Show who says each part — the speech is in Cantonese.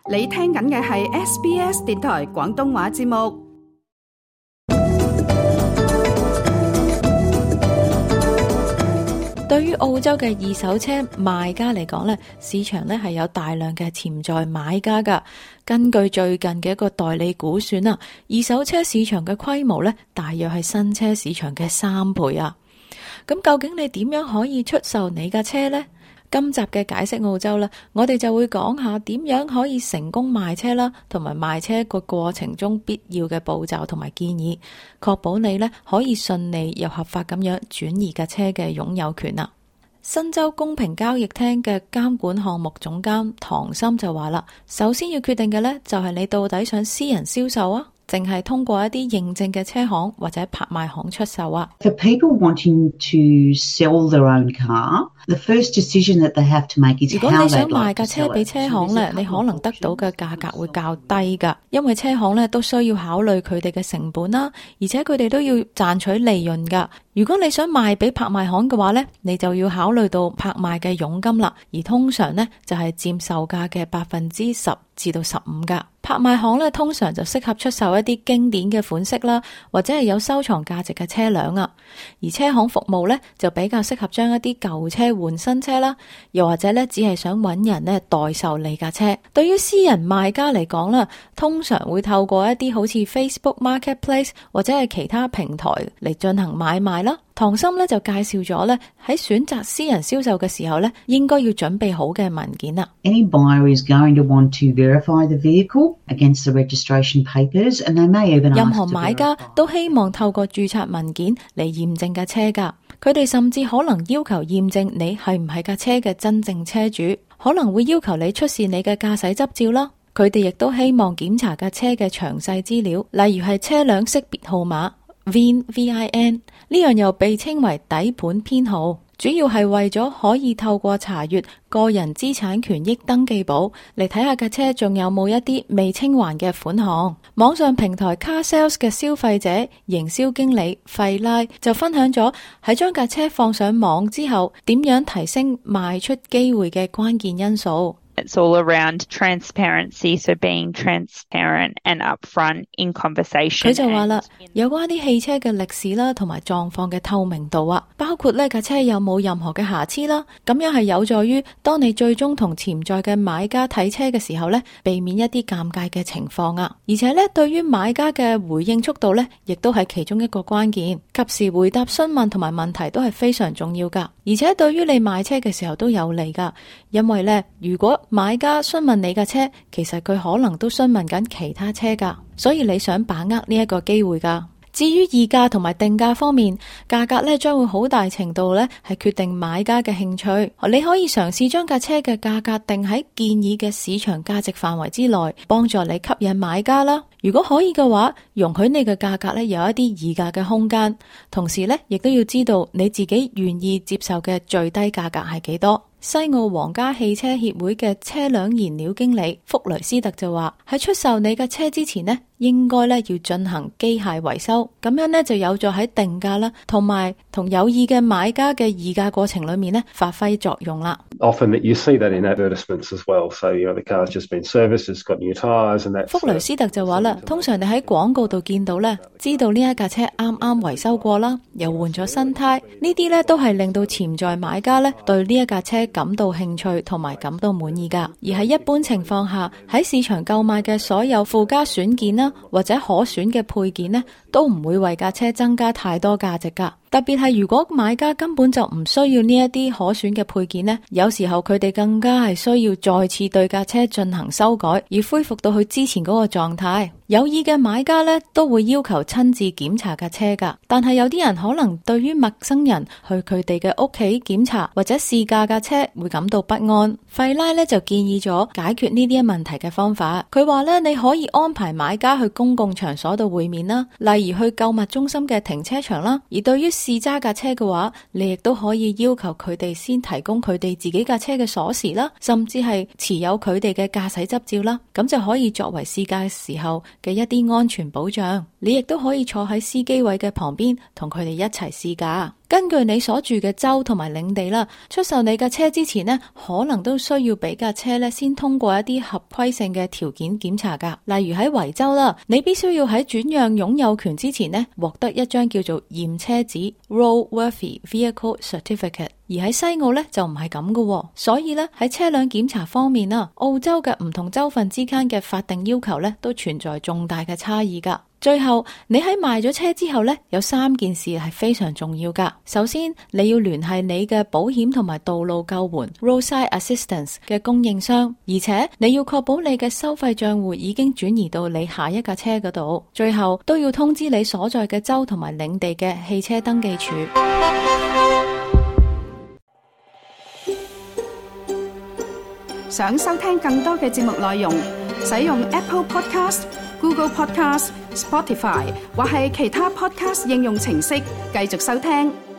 Speaker 1: 你聽緊嘅係 SBS 電台廣東話節目。
Speaker 2: 對於澳洲嘅二手車賣家嚟講呢，市場呢係有大量嘅潛在買家㗎。根據最近嘅一個代理估算啊，二手車市場嘅規模呢，大約係新車市場嘅3倍啊。咁究竟你點樣可以出售你架車呢？今集嘅解釋澳洲啦，我哋就會講下點樣可以成功賣車啦，同埋賣車個過程中必要嘅步驟同埋建議，確保你呢可以順利又合法咁樣轉移架車嘅擁有權啦。新州公平交易廳嘅監管項目總監唐森就話啦，首先要決定嘅呢，就係你到底想私人銷售啊，淨係通過一啲認證嘅車行或者拍賣行出售啊。
Speaker 3: For people wanting to sell their own car, the first decision that they have to make is
Speaker 2: 如果
Speaker 3: how
Speaker 2: 你想
Speaker 3: they'd
Speaker 2: 賣
Speaker 3: like
Speaker 2: 架
Speaker 3: to
Speaker 2: 車
Speaker 3: sell
Speaker 2: 俾
Speaker 3: it.
Speaker 2: 車行呢，你可能得到嘅價格會較低噶，因為車行呢都需要考慮佢哋嘅成本啦，而且佢哋都要賺取利潤噶。如果你想賣俾拍賣行嘅話呢，你就要考慮到拍賣嘅佣金啦，而通常呢就係佔售價嘅10%至到15%噶。拍賣行呢通常就適合出售一啲經典嘅款式啦，或者係有收藏價值嘅車輛啊。而車行服務呢就比較適合將一啲舊車換新車啦，又或者呢只係想揾人呢代售你架車。對於私人賣家嚟講啦，通常會透過一啲好似 Facebook Marketplace 或者係其他平台嚟進行買賣啦。唐森呢就介紹咗呢喺選擇私人銷售嘅時候呢，應該要準備好嘅文件啦。
Speaker 3: Any buyer is going to want to verify the vehicle against the registration papers, and they may even ask
Speaker 2: 任何買家都希望透過註冊文件嚟驗證架車㗎，佢哋甚至可能要求驗證你係唔係架車嘅真正車主，可能會要求你出示你嘅駕駛執照啦。佢哋亦都希望檢查架車嘅詳細資料，例如係車輛識別號碼 VIN 呢樣又被稱為底盤編號，主要係為咗可以透過查閱個人資產權益登記簿嚟睇下架車仲有冇一啲未清還嘅款項。網上平台 Car Sales 嘅消費者營銷經理費拉就分享咗喺將架車放上網之後，點樣提升賣出機會嘅關鍵因素。
Speaker 4: It's all around transparency, so being transparent and upfront in conversation.
Speaker 2: 佢就話啦，有關啲汽車嘅歷史啦，同埋狀況嘅透明度啊，包括呢架車有冇任何嘅瑕疵啦，咁樣係有助於當你最終同潛在嘅買家睇車嘅時候呢，避免一啲尷尬嘅情況啊。而且呢，對於買家嘅回應速度呢，亦都係其中一個關鍵，及時回答詢問同埋問題都係非常重要噶。而且對於你買車嘅時候都有利噶，因為呢，如果買家詢問你架車，其實佢可能都詢問緊其他車噶，所以你想把握呢一個機會噶。至於議價同埋定價方面，價格呢將會好大程度呢係決定買家嘅興趣。你可以嘗試將架車嘅價格定喺建議嘅市場價值範圍之內，幫助你吸引買家啦。如果可以嘅話，容許你嘅價格呢有一啲議價嘅空間，同時呢亦都要知道你自己願意接受嘅最低價格係幾多。西澳皇家汽車協會嘅車輛燃料經理福雷斯特就話，喺出售你嘅車之前呢，應該呢要進行機械維修，咁樣呢就有助喺定價啦，同埋同有意嘅買家嘅議價過程裏面呢發揮作用啦。
Speaker 5: Often that you see that in advertisements as well. So the car's just been serviced, it's got new tyres and that.
Speaker 2: 福雷斯特就話啦，通常你喺廣告度見到呢，知道呢一架車啱啱維修過啦，又換咗新胎，呢啲呢都係令到潛在買家呢對呢一架車感到興趣同埋感到滿意噶。而喺一般情況下，喺市場購買嘅所有附加選件啦，或者可選嘅配件呢，都唔會為架車增加太多價值噶。特別係如果買家根本就唔需要呢一啲可選嘅配件呢，有時候佢哋更加係需要再次對架車進行修改，而恢復到佢之前嗰個狀態。有意嘅買家呢，都會要求親自檢查架車噶，但係有啲人可能對於陌生人去佢哋嘅屋企檢查或者試駕架車會感到不安。費拉呢就建議咗解決呢啲問題嘅方法。佢話呢，你可以安排買家去公共場所度會面啦，例如去購物中心嘅停車場啦。而對於試揸架車嘅話，你亦都可以要求佢哋先提供佢哋自己架車嘅鎖匙啦，甚至係持有佢哋嘅駕駛執照啦，咁就可以作為試駕時候嘅一啲安全保障。你亦都可以坐喺司機位嘅旁邊，同佢哋一齊試駕。根據你所住嘅州同埋領地啦，出售你架車之前呢，可能都需要俾架車咧先通過一啲合規性嘅條件檢查噶。例如喺維州啦，你必須要喺轉讓擁有權之前呢，獲得一張叫做驗車紙 Roadworthy Vehicle Certificate。而喺西澳呢，就唔係咁噶，所以呢，喺車輛檢查方面啦，澳洲嘅唔同州份之間嘅法定要求呢，都存在重大嘅差異噶。最後，你喺賣咗車之後呢，有3件事係非常重要噶。首先，你要聯繫你嘅保險同埋道路救援 Roadside Assistance 嘅供應商，而且你要確保你嘅收費賬戶已經轉移到你下一架車嗰度。最後，都要通知你所在嘅州同埋領地嘅汽車登記處。
Speaker 1: 想收聽更多嘅節目內容，使用 Apple Podcast、Google Podcast、Spotify 或係其他 Podcast 應用程式繼續收聽。